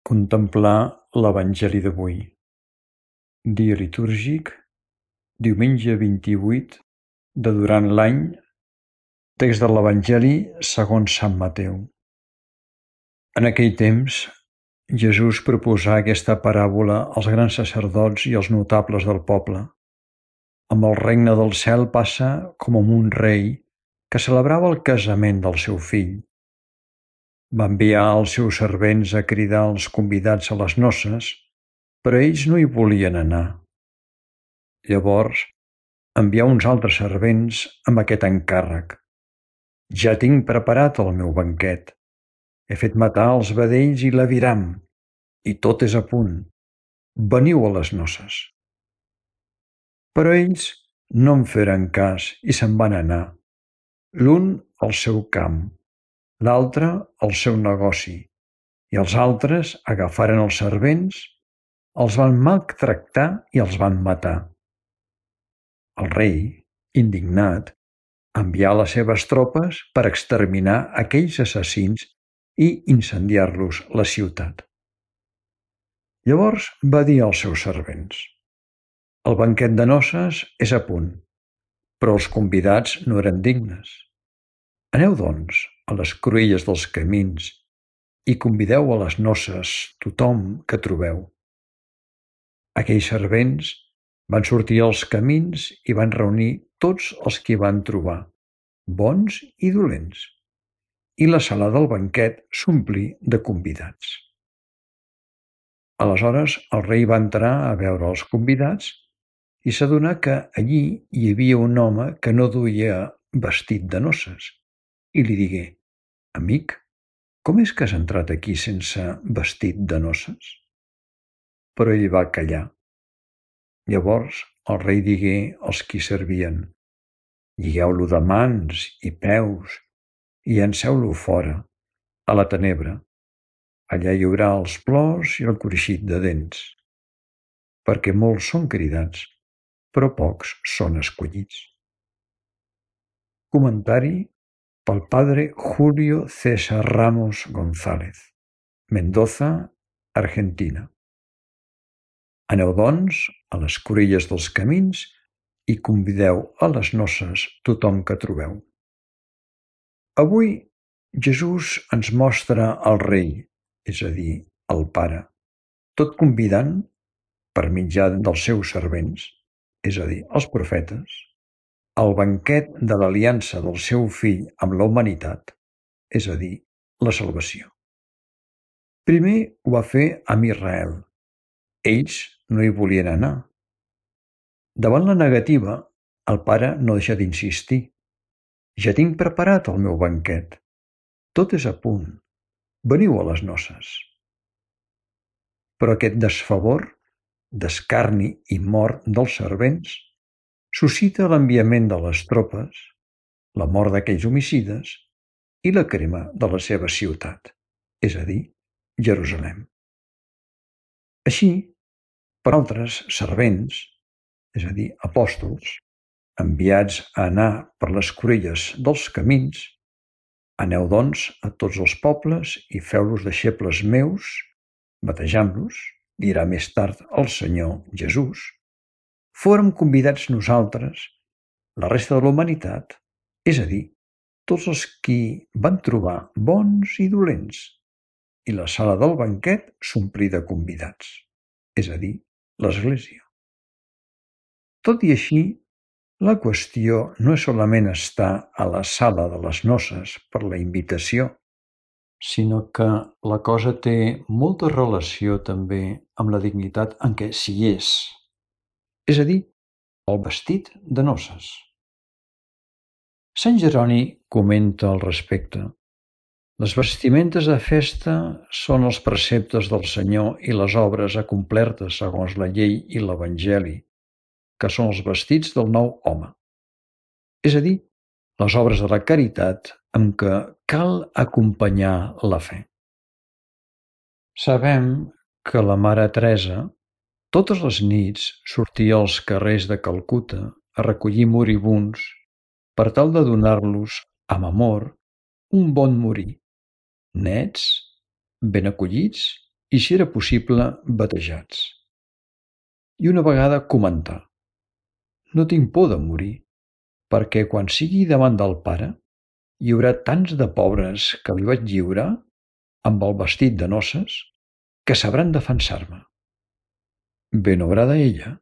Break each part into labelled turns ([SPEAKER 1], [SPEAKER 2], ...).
[SPEAKER 1] Contemplar l'Evangeli d'avui. Dia litúrgic, diumenge 28 de durant l'any, text de l'Evangeli segons Sant Mateu. En aquell temps, Jesús proposà aquesta paràbola als grans sacerdots i als notables del poble. Amb el regne del cel passa com amb un rei que celebrava el casament del seu fill. Va enviar els seus servents a cridar els convidats a les noces, però ells no hi volien anar. Llavors envià uns altres servents amb aquest encàrrec: «Ja tinc preparat el meu banquet. He fet matar els vedells i l'aviram, i tot és a punt. Veniu a les noces». Però ells no en feren cas i se'n van anar, l'un al seu camp, l'altre al seu negoci, i els altres agafaren els servents, els van maltractar i els van matar. El rei, indignat, envià les seves tropes per exterminar aquells assassins i incendiar-los la ciutat. Llavors va dir als seus servents: «El banquet de noces és a punt, però els convidats no eren dignes. Aneu, doncs, a les cruïlles dels camins i convideu a les noces tothom que trobeu». Aquells servents van sortir als camins i van reunir tots els que van trobar, bons i dolents, i la sala del banquet s'omplí de convidats. Aleshores el rei va entrar a veure els convidats i s'adonà que allí hi havia un home que no duia vestit de noces, i li digué: «Amic, com és que has entrat aquí sense vestit de noces?» Però ell va callar. Llavors el rei digué als qui servien: «Lligueu-lo de mans i peus i llanceu-lo fora, a la tenebra. Allà hi haurà els plors i el cruixit de dents, perquè molts són cridats, però pocs són escollits». Comentari pel padre Julio César Ramos González, Mendoza, Argentina. Aneu, doncs, a les cruïlles dels camins i convideu a les noces tothom que trobeu. Avui Jesús ens mostra el rei, és a dir, el Pare, tot convidant, per mitjà dels seus servents, és a dir, els profetes, al banquet de l'aliança del seu fill amb la humanitat, és a dir, la salvació. Primer ho va fer amb Israel. Ells no hi volien anar. Davant la negativa, el Pare no deixa d'insistir: «Ja tinc preparat el meu banquet. Tot és a punt. Veniu a les noces». Però aquest desfavor, d'escarni i mort dels servents suscita l'enviament de les tropes, la mort d'aquells homicides i la crema de la seva ciutat, és a dir, Jerusalem. Així, per altres servents, és a dir, apòstols, enviats a anar per les cruïlles dels camins: «Aneu, doncs, a tots els pobles i feu-los deixebles meus, batejant-los», dirà més tard el Senyor Jesús, fórem convidats nosaltres, la resta de la humanitat, és a dir, tots els qui van trobar bons i dolents, i la sala del banquet s'omplí de convidats, és a dir, l'Església. Tot i així, la qüestió no és solament estar a la sala de les noces per la invitació, sinó que la cosa té molta relació també amb la dignitat en què s'hi és a dir, el vestit de noces. Sant Jeroni comenta al respecte: «Les vestimentes de festa són els preceptes del Senyor i les obres acomplertes segons la llei i l'Evangeli, que són els vestits del nou home», és a dir, les obres de la caritat amb què cal acompanyar la fe. Sabem que la Mare Teresa totes les nits sortia als carrers de Calcuta a recollir moribunds per tal de donar-los, amb amor, un bon morir, nets, ben acollits i, si era possible, batejats. I una vegada comentà: «No tinc por de morir, perquè quan sigui davant del Pare hi haurà tants de pobres que li vaig lliurar amb el vestit de noces que sabran defensar-me». Ben obrada ella.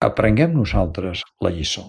[SPEAKER 1] Aprenguem nosaltres la lliçó.